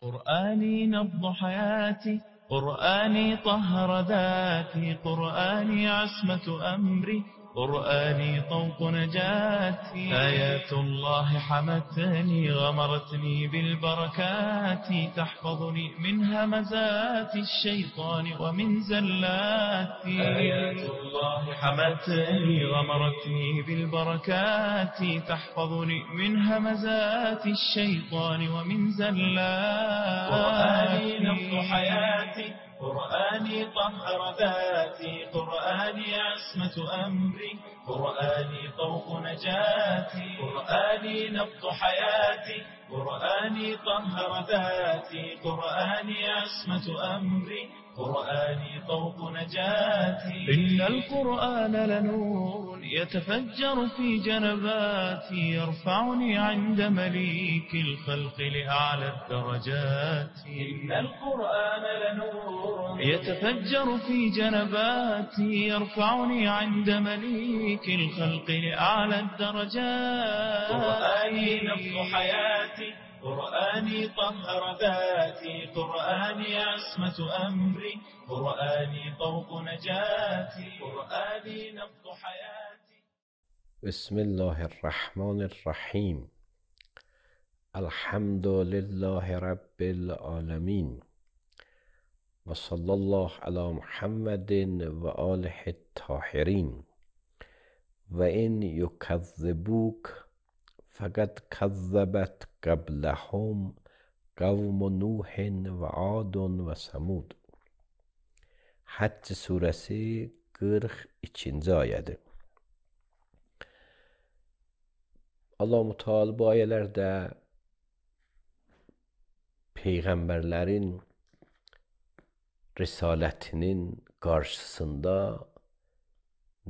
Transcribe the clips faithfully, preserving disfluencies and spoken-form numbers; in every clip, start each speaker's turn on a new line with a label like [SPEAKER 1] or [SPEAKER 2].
[SPEAKER 1] قرآني نبض حياتي، قرآني طهر ذاتي، قرآني عصمة أمري، قرآني طوق نجاتي. آيات الله حمتني غمرتني بالبركات، تحفظني من همزات الشيطان ومن زلات. آيات الله حمتني غمرتني بالبركات، تحفظني من همزات الشيطان ومن زلات. قرآني نبض حياتي، قرآني طهر ذاتي، قرآني عصمة أمري، قرآني طوق نجاتي. قرآني نبض حياتي، قرآني طهر ذاتي، قرآني عصمة أمري، قرآني طوق نجاتي. إن القرآن لنور يتفجر في جنباتي، يرفعني عند مليك الخلق لأعلى الدرجات. إن القرآن لنور يتفجر في جنباتي، يرفعني عند مليك الخلق لأعلى الدرجات. قرآني نبض حياتي، قرآني طهر ذاتي، قرآني عصمة أمري، قرآني طوق نجاتي. قرآني نبض حياتي.
[SPEAKER 2] بسم الله الرحمن الرحیم. الحمد لله رب العالمین و صلی الله علی محمد و آله الطاهرین. و این یکذبوک فقد کذبت قبلهم قوم نوح و عاد و ثمود. Həcc surəsi qırx ikinci ayədir. Allah-u Teala bu ayələrdə peyğəmbərlərin risalətinin qarşısında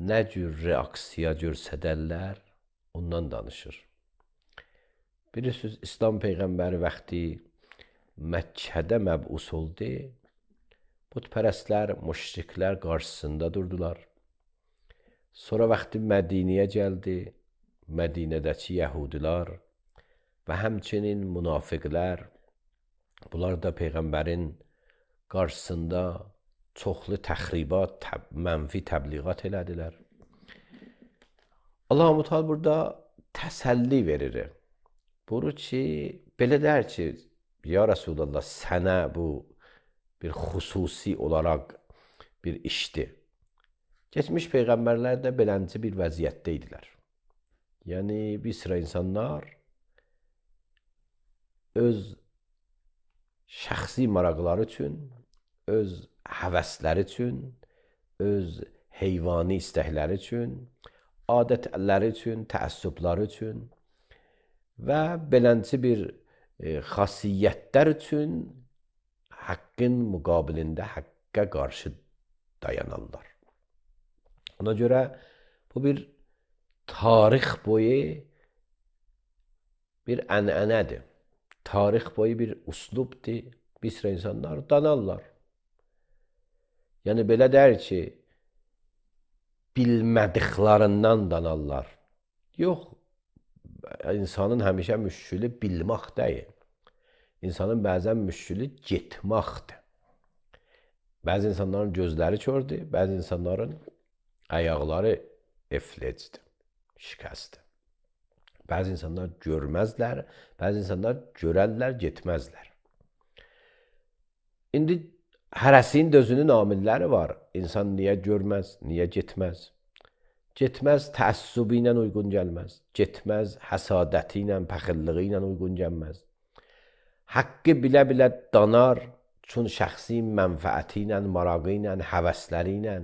[SPEAKER 2] nə cür reaksiya göstərərlər ondan danışır. Bilirsiniz, İslam peyğəmbəri vaxtı Məkkədə məbus oldu. Putpərəstlər, müşriklər qarşısında durdular. Sonra vaxtı Mədinəyə gəldi. Mədinədəki yəhudilər və həmçinin münafiqlər, bunlar da peyğəmbərin qarşısında çoxlu təxribat, təb mənfi təbliğat elədilər. Allah-u Teala burada təsəlli verir. Buyurur ki, belə der ki, ya Resulallah, sənə bu bir xüsusi olaraq bir işdir. Keçmiş peyğəmbərlər də belənci bir vəziyyətdə idilər. Yəni, bir sıra insanlar öz şəxsi maraqları üçün, öz həvəsləri üçün, öz heyvani istəkləri üçün, adətləri üçün, təəssübləri üçün və belənci bir e, xasiyyətlər üçün haqqın müqabilində haqqa qarşı dayanarlar. Ona görə bu bir tarix boyu bir ənənədir. Tarix boyu bir uslubdur. Bir sıra insanlar danarlar. Yəni belə der ki, bilmədiklərindən danarlar. Yox, insanın həmişə müşkülü bilmək deyil. İnsanın bəzən müşkülü getməkdir. Bəzi insanların gözləri kördür, bəzi insanların ayaqları eflecdir, şikəstdir. Bəzi insanlar görməzlər, bəzi insanlar görərlər, getməzlər. İndi hərəsinin özünün amilləri var. İnsan niyə görməz, niyə getməz? Getməz təəssübü ilə uyğun gəlməz. Getməz həsadəti ilə, pəxilliği ilə uyğun gəlməz. Haqqı bilə-bilə danar, çün şəxsi mənfəəti ilə, marağı ilə, həvəsləri ilə,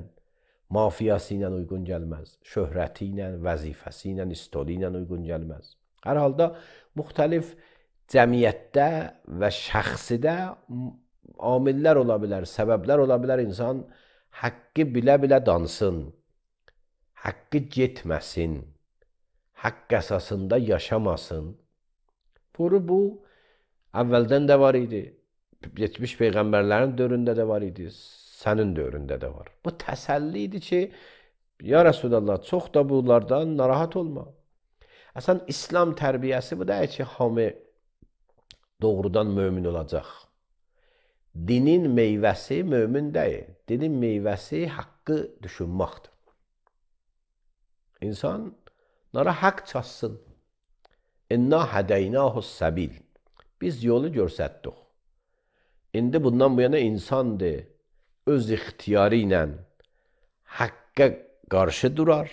[SPEAKER 2] mafiyası ilə uyğun gəlməz. Şöhrəti ilə, vəzifəsi ilə, istoli ilə uyğun gəlməz. Hər halda müxtəlif cəmiyyətdə və şəxsidə amillər ola bilər, səbəblər ola bilər. İnsan haqqı bilə-bilə dansın, haqqı getməsin, haqq əsasında yaşamasın. Bunu bu əvvəldən də var idi, geçmiş peyğəmbərlərin dövründə də var idi, sənin dövründə də var. Bu təsəlli idi ki, ya Resulallah, çox da bunlardan narahat olma. Əslən, İslam tərbiyəsi bu deyil ki, hamı doğrudan mömin olacaq. Dinin meyvəsi mömin deyil. Dinin meyvəsi haqqı düşünməkdir. İnsanlara haqq çatsın. İnna hədəynahus səbil. Biz yolu görsətdik. İndi bundan bu yana insandır. Öz ixtiyarı ilə haqqa qarşı durar.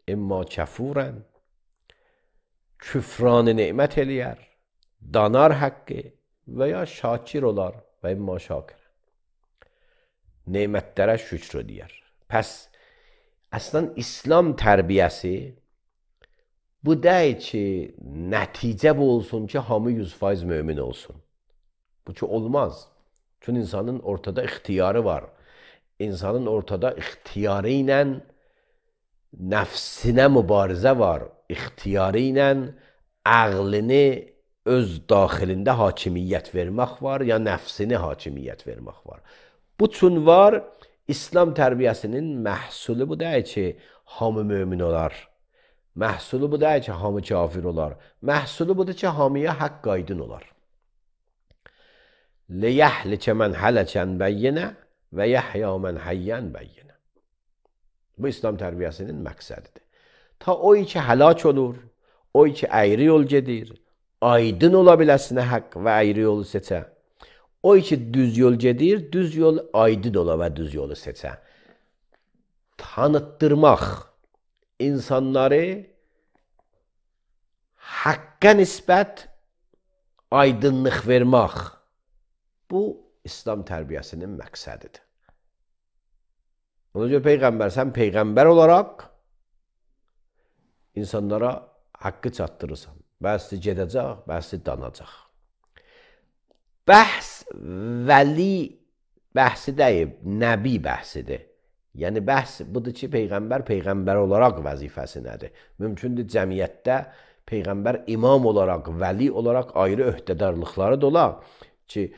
[SPEAKER 2] İmma kəfurən. Küfranı nemət eləyər. Danar haqqı və ya şakir olar və imma şakir. Nemətlərə şükr edər. Pəs əslən İslam tərbiyəsi bu deyil ki, nəticə bu olsun ki, hamı yüz faiz mömin olsun. Bu ki, olmaz. Çünki insanın ortada ixtiyarı var. İnsanın ortada ixtiyarı ilə nəfsinə mübarizə var. İxtiyarı ilə ağlını öz daxilində hakimiyyət vermək var, ya nəfsini hakimiyyət vermək var. Bu üçün var, İslam tərbiyəsinin məhsulu bu deyil ki, hamı mömin olar. Məhsulu bu deyil ki, hamı kafir olar. Məhsulu budur ki, hamıya haqq aydın olar. Liyəhlikə mən hələkən bəyyinə və yəhya mən həyyən bəyyinə. Bu İslam tərbiyəsinin məqsədidir. Ta o ki həlak olur, o ki əyri yol gedir, aydın ola biləsinə haqq və əyri yolu seçə. O ki düz yol gedir, düz yol aydın ola və düz yolu seçə. Tanıtdırmaq, insanları haqqa nisbət aydınlıq vermək. Bu İslam tərbiyəsinin məqsədidir. Ona görə Peyğəmbər, sən Peyğəmbər olaraq insanlara haqqı çatdırırsan. Bəzi gedəcək, bəzi danacaq. Bəhs vəli bəhsi deyib, nəbi bəhsidir. Yəni bəhs budur ki, Peyğəmbər Peyğəmbər olaraq vəzifəsi nədir? Mümkündür cəmiyyətdə Peyğəmbər imam olaraq, vəli olaraq ayrı öhdədarlıqları da olar ki,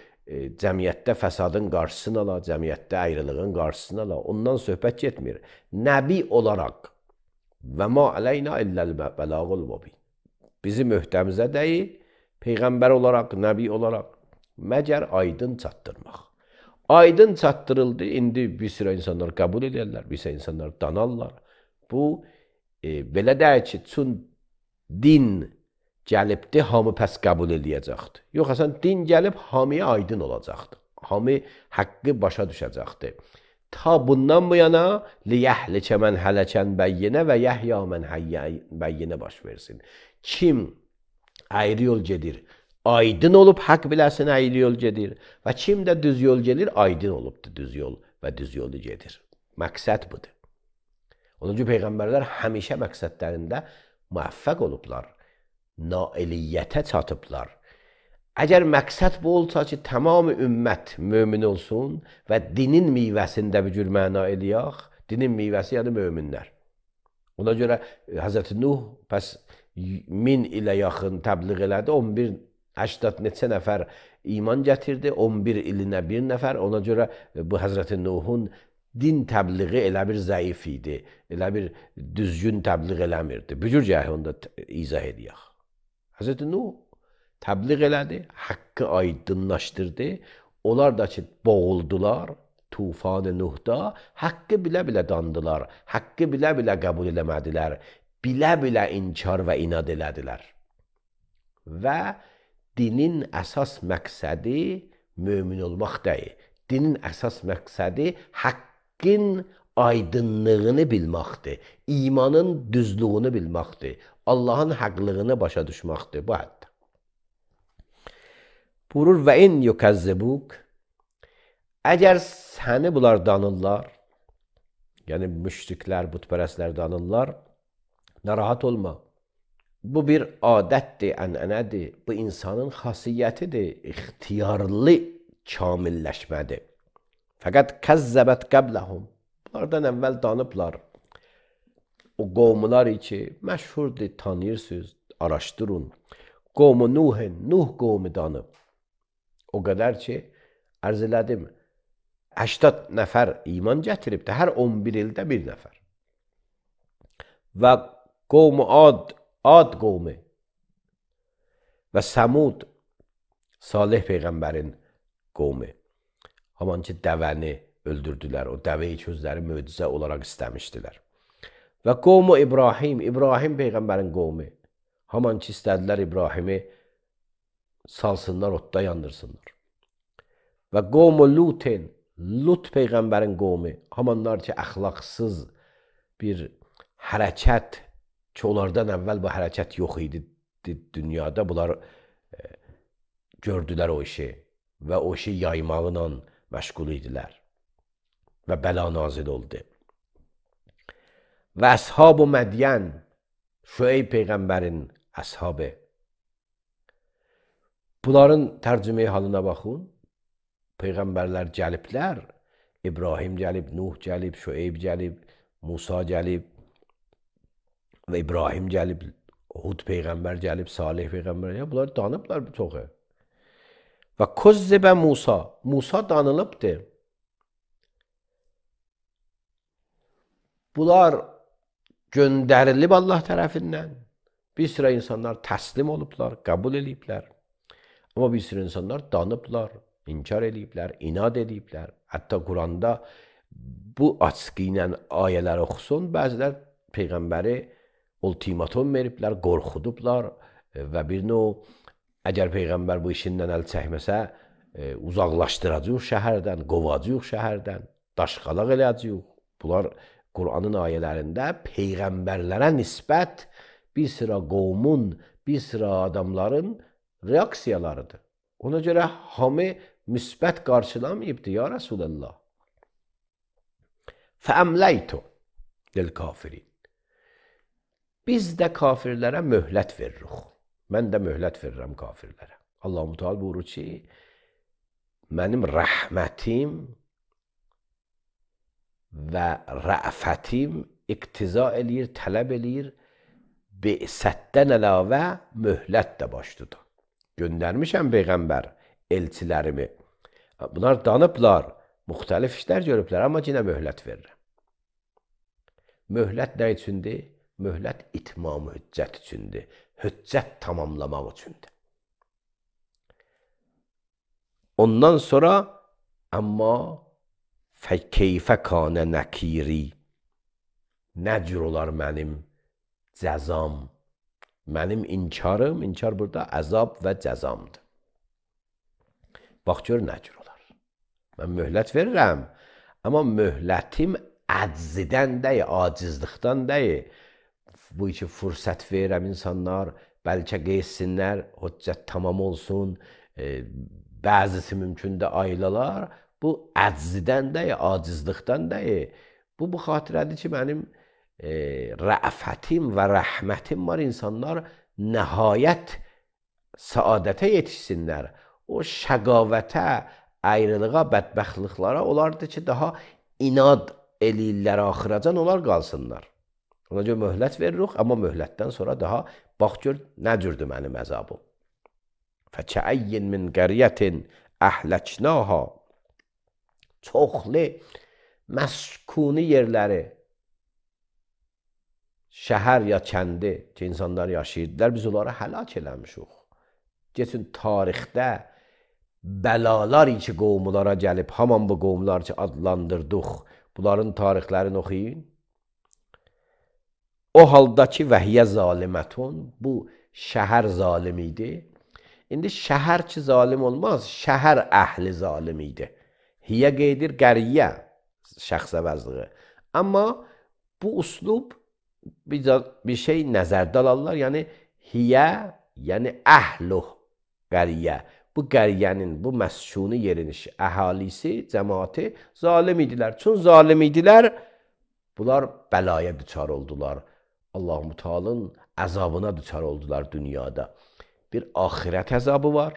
[SPEAKER 2] cəmiyyətdə fəsadın qarşısını ala, cəmiyyətdə ayrılığın qarşısını ala. Ondan söhbət getmir. Nəbi olaraq və ma əleyna illəl bəlağul mübin. Bizim öhdəmizə deyil, Peyğəmbər olaraq, nəbi olaraq məgər aydın çatdırmaq. Aydın çatdırıldı, indi bir sıra insanlar qəbul edirlər, bir sıra insanlar danarlar. Bu, e, belə deyək ki, çün din gəlibdir, hamı pəs qəbul eləyəcəkdir. Yox, əsən din gəlib, hamıya aydın olacaqdır. Hamı haqqı başa düşəcəkdir. Ta bundan bu yana liyəhlikə mən hələkən bəyyinə və yəhya mən həyyən bəyyinə baş versin. Kim ayrı yol gedir, aydın olub haqq biləsin ayrı yol gedir və kim də düz yol gedir, aydın olubdur düz yol və düz yolu gedir. Məqsəd budur. Onun üçün Peyğəmbərlər həmişə məqsədlərində müvəffəq olublar. Nailiyyətə çatıblar. Əgər məqsəd bu olsa ki, tamam ümmət mömin olsun və dinin meyvəsində bir cür məna eləyək, dinin meyvəsi yəni möminlər. Ona görə Həzrəti Nuh pəs min ilə yaxın təbliğ elədi, on bir səksən neçə nəfər iman gətirdi, on bir ilinə bir nəfər. Ona görə bu Həzrəti Nuhun din təbliği elə bir zəif idi, elə bir düzgün təbliğ eləmirdi. Bu cür gəhi onda izah edəyək. Həzrəti Nuh təbliğ elədi, haqqı aydınlaşdırdı. Onlar da ki, boğuldular tufan-ı Nuhda, haqqı bilə-bilə dandılar, haqqı bilə-bilə qəbul eləmədilər, bilə-bilə inkar və inad elədilər. Və dinin əsas məqsədi mömin olmaq deyil. Dinin əsas məqsədi haqqın aydınlığını bilməkdir, imanın düzlüğünü bilməkdir, Allahın haqlığını başa düşməkdir bu həddə. Buyurur və in yukəzzibuk, əgər səni bunlar danırlar, yəni müşriklər, bütpərəslər danırlar, narahat olma. Bu bir adətdir, ənənədir, bu insanın xasiyyətidir, ixtiyarlı kamilləşmədir. Fəqət kəzzəbət qəbləhum, bunlardan əvvəl danıblar. O qovmular ki, məşhurdur, tanıyırsınız, araşdırın. Qovmu Nuhin, Nuh qovmu danıb. O qədər ki, ərz elədim, səksən nəfər iman gətiribdir, hər on bir ildə bir nəfər. Və qovmu Ad, Ad qovmu və Səmud, Salih Peyğəmbərin qovmu. Haman ki, dəvəni öldürdülər. O dəvəyi ki, özləri möcüzə olaraq istəmişdilər. Və qovmu İbrahim, İbrahim Peyğəmbərin qovmu. Haman ki, istədilər İbrahimi salsınlar, otda yandırsınlar. Və qovmu Lutin, Lut Peyğəmbərin qovmu. Hamanlar ki, əxlaqsız bir hərəkət ki, onlardan əvvəl bu hərəkət yox idi dünyada. Bunlar e, gördülər o işi və o işi yaymaqla məşğul idilər. Və bəla nazil oldu. Və əshab-ı Mədiyən, Şüeyb Peyğəmbərin əshabı. Bunların tərcümeyi halına baxın. Peyğəmbərlər gəliblər. İbrahim gəlib, Nuh gəlib, Şüeyb gəlib, Musa gəlib və İbrahim gəlib, Hud Peyğəmbər gəlib, Salih Peyğəmbər gəlib. Bunlar danıblar bir çoxu. Və Kuzzibə Musa, Musa danılıbdır. Bunlar göndərilib Allah tərəfindən. Bir sıra insanlar təslim olublar, qəbul ediblər. Amma bir sıra insanlar danıblar, inkar ediblər, inad ediblər. Hətta Quranda bu açıqı ilə ayələr oxusun, bəzilər Peyğəmbəri ultimatum veriblər, qorxudublar və bir növ əgər Peyğəmbər bu işindən əl çəkməsə, e, uzaqlaşdıracaq şəhərdən, qovacaq şəhərdən, daşqalaq eləyəcək. Bunlar Qur'anın ayələrində Peyğəmbərlərə nisbət bir sıra qovmun, bir sıra adamların reaksiyalarıdır. Ona görə hamı müsbət qarşılamayıbdır, ya Rasulallah. Fəəmləytu lil kafirin. Biz də kafirlərə möhlət veririk. Mən də möhlət verirəm kafirlərə. Allah-u Teala buyurur ki, mənim rəhmətim və rəfətim iqtiza eləyir, tələb eləyir, bi'sətdən əlavə möhlət də başlıdır. Göndərmişəm Peyğəmbər elçilərimi. Bunlar danıblar, müxtəlif işlər görüblər, amma yenə möhlət verirəm. Möhlət nə üçündür? Möhlət itmam hüccət üçündür. Hüccət tamamlamaq üçündür. Ondan sonra amma fəkeyfə kanə nəkiri. Nə cür olar mənim cəzam? Mənim inkarım, inkar burada əzab və cəzamdır. Bax gör nə cür olar. Mən möhlət verirəm, amma möhlətim əczidən deyil, acizlikdən deyil. Bu iki fürsət verirəm insanlar, bəlkə qeysinlər, hüccət tamam olsun, e, bəzisi mümkün də aylalar. Bu əczidən deyil, acizlikdən deyil. Bu, bu xatirədir ki, mənim e, rəfətim və rəhmətim var, insanlar nəhayət saadətə yetişsinlər. O şəqavətə, ayrılığa, bədbəxtliklara olardı ki, daha inad eləyirlər axıracan, onlar qalsınlar. Ona görə möhlət veririk, amma möhlətdən sonra daha bax gör nə cürdür mənim əzabım. Fəkəəyyin min qəriyyətin əhləknaha. Çoxlu məskuni yerləri, şəhər ya kəndi ki, insanlar yaşayırdılar, biz onları həlak eləmişik. Geçin tarixdə bəlalar ki, qovmulara gəlib, haman bu qovmular ki, adlandırdıq, bunların tarixlərini oxuyun. O halda ki, vəhiyyə zalimətun, bu şəhər zalim idi. İndi şəhər ki, zalim olmaz, şəhər əhli zalim idi. Hiyə qeydir qəriyyə, şəxs əvəzliği. Amma bu uslub bir, bir şey nəzərdə alırlar, yəni hiyə, yəni əhluh qəriyyə. Bu qəriyyənin, bu məskuni yerin əhalisi, cəmaati zalim idilər. Çün zalim idilər, bunlar bəlaya düçar oldular. Allah-u Teala'nın əzabına düçar oldular dünyada. Bir ahirət əzabı var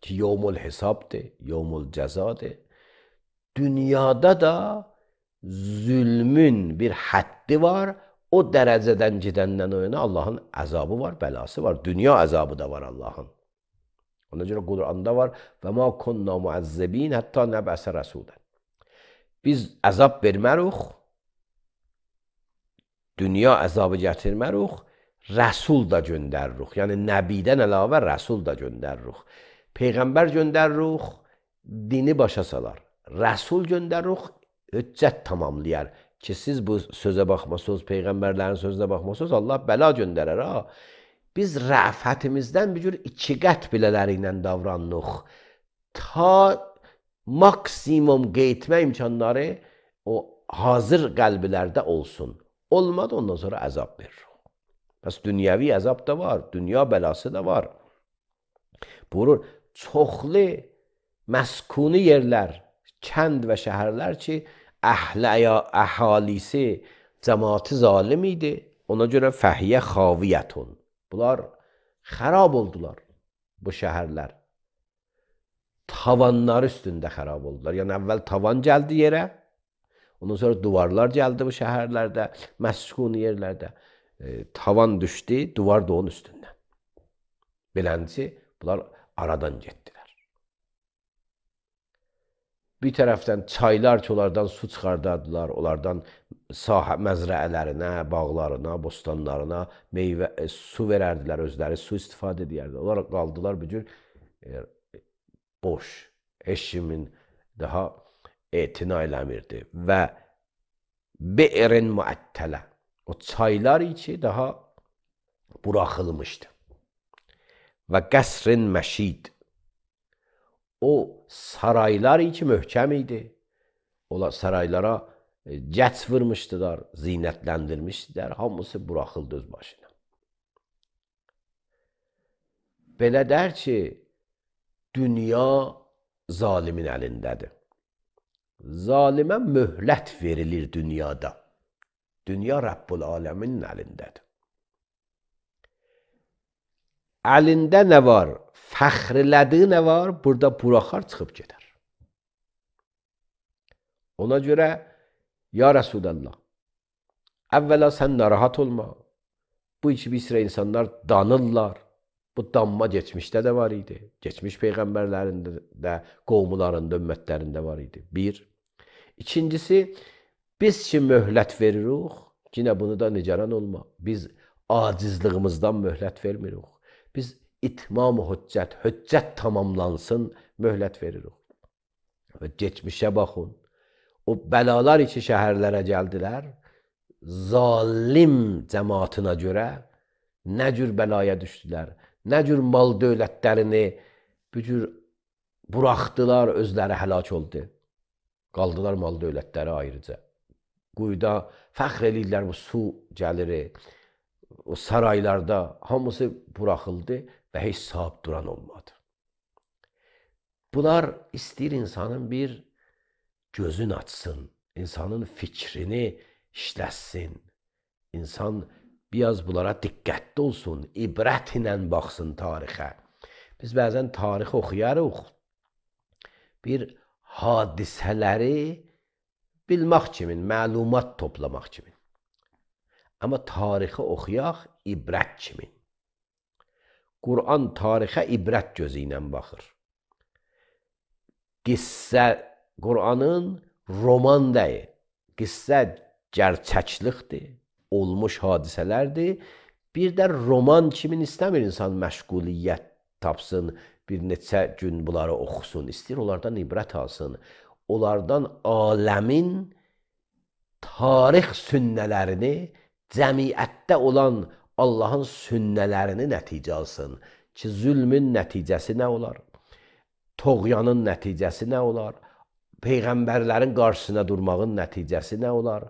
[SPEAKER 2] ki, yevmul hesabdır, yevmul cəzadır. Dünyada da zülmün bir həddi var. O dərəcədən gedəndən o yana Allahın əzabı var, bəlası var. Dünya əzabı da var Allahın. Ona görə Quranda var və ma kunna muəzzəbin hətta nəbəsə rəsudən. Biz əzab vermərik, dünya əzabı gətirmərik, rəsul da göndəririk. Yəni nəbidən əlavə rəsul da göndəririk. Peyğəmbər göndəririk, dini başa salar. Rəsul göndəririk, hüccət tamamlayar. Ki siz bu sözə baxmasınız, peyğəmbərlərin sözünə baxmasınız, Allah bəla göndərər ha. Biz rəfətimizdən bir cür iki qət bilələri ilə davranırıq. Ta maksimum qeytmə imkanları o hazır qəlblərdə olsun. Olmadı, ondan sonra əzab verir. Bəs dünyəvi əzab da var, dünya bəlası da var. Buyurur, çoxlu məskuni yerlər, kənd və şəhərlər ki, əhlə əhalisi, cəmaati zalim idi. Ona görə fəhiyyə xaviyyətun. Bunlar xərab oldular, bu şəhərlər. Tavanlar üstündə xərab oldular. Yəni əvvəl tavan gəldi yerə, ondan sonra duvarlar gəldi bu şəhərlərdə, məskuni yerlərdə. E, tavan düşdü, duvar da onun üstündən. Beləncə, bunlar aradan getdilər. Bir tərəfdən çaylar ki, onlardan su çıxardardılar, onlardan sahə məzrələrinə, bağlarına, bostanlarına meyvə, e, su verərdilər, özləri su istifadə edərdilər. Onlar qaldılar bir cür e, boş, heç kimin daha etina eləmirdi. Və bi'rin muəttələ, o çaylar içi daha buraxılmışdı. Və qəsrin məşid, o saraylar içi möhkəm idi. Ola saraylara cəç vurmuşdular, zinətləndirmişdilər, hamısı buraxıldı öz başına. Belə der ki, dünya zalimin əlindədir. Zalimə möhlət verilir dünyada. Dünya Rəbbul aləminin əlindədir. Əlində nə var? Fəxrlədiyi nə var? Burada buraxar, çıxıb gedər. Ona görə, ya Rəsulallah, əvvəla sən narahat olma. Bu iki bir sıra insanlar danırlar. Bu danma geçmişdə də var idi. Geçmiş peyğəmbərlərində də, qovmularında, ümmətlərində var idi. Bir. İkincisi, biz ki möhlət veririk, yine bunu da nigaran olma. Biz acizliğimizdən möhlət vermirik. Biz itmam-ı hüccət, hüccət tamamlansın, möhlət veririk. Və geçmişə baxın. O bəlalar içi şəhərlərə gəldilər. Zalim cəmaatına görə nə cür bəlaya düşdülər, nə cür mal dövlətlərini bir cür buraxdılar, özləri həlak oldu. Qaldılar mal dövlətləri ayrıca. Quyuda fəxr eləyirlər, bu su gəlir, o saraylarda hamısı buraxıldı və heç sahib duran olmadı. Bunlar istəyir insanın bir gözün açsın, insanın fikrini işləsin, insan biraz bunlara diqqətli olsun, ibrət ilə baxsın tarixə. Biz bəzən tarix oxuyarıq, bir hadisələri bilmək kimin, məlumat toplamaq kimin. Amma tarixi oxuyaq ibrət kimin. Quran tarixə ibrət gözü ilə baxır. Qissə Quranın roman deyil, qissə gerçəklikdir, olmuş hadisələrdir. Bir də roman kimin istəmir insan məşğuliyyət tapsın, bir neçə gün bunları oxusun, istəyir onlardan ibrət alsın. Onlardan aləmin tarix sünnələrini, cəmiyyətdə olan Allahın sünnələrini nəticə alsın ki, zülmün nəticəsi nə olar? Toğyanın nəticəsi nə olar? Peyğəmbərlərin qarşısına durmağın nəticəsi nə olar?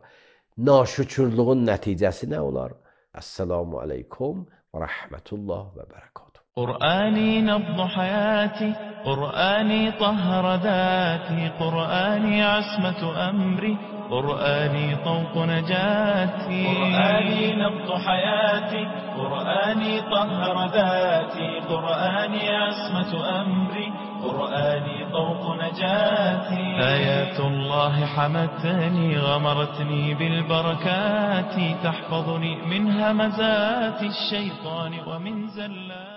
[SPEAKER 2] Naşükürlüğün nəticəsi nə olar? Esselamu aleykum və rəhmətullah və bərəkatuhu.
[SPEAKER 1] قرآني نبض حياتي، قرآني طهر ذاتي، قرآني عصمة أمري، قرآني طوق نجاتي. قرآني نبض حياتي، قرآني طهر ذاتي، قرآني عصمة أمري، قرآني طوق نجاتي. آيات الله حمتني، غمرتني بالبركات، تحفظني من همزات الشيطان ومن زلات